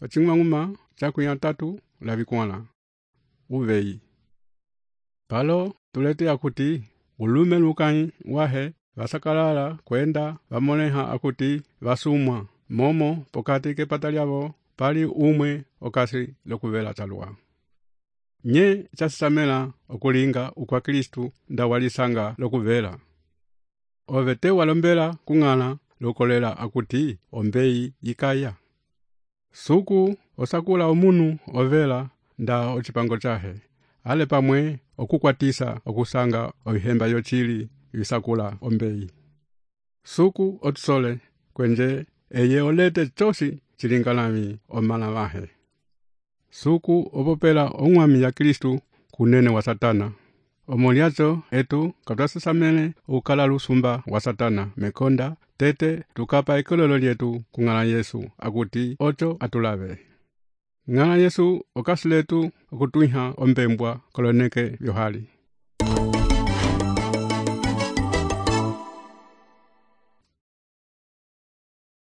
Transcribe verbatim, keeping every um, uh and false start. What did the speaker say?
wacing'uma cakuya tatu la vikwala uveyi. Palo tulete akuti ulume lukãyi wahe vasakalala kwenda vamoleha akuti vasumwa momo pokati kepata lyavo pali umwe okasi lokuvela talwa. Nye chasisamela okulinga ukwa Kristu nda walisanga lokuvela. Ovete walombela kung'ala lokolela akuti ombeyi yikaya. Suku osakula omunu ovela nda ocipango chahe, ale pamwe okukwatisa okusanga ohemba yochili yisakula ombeyi. Suku otusole kwenje eye olete chosi chilingalami omala vahe. Suku opopela ong'wami ya Kristu kunene wa Satana. Omoliacho etu katwasisamele ukala lusumba wa Satana mekonda tete tukapa ikololo lyetu kung'ala Yesu akuti ocho atulave. Ng'ala Yesu okasi letu okutwiha ombembwa koloneke vyohali.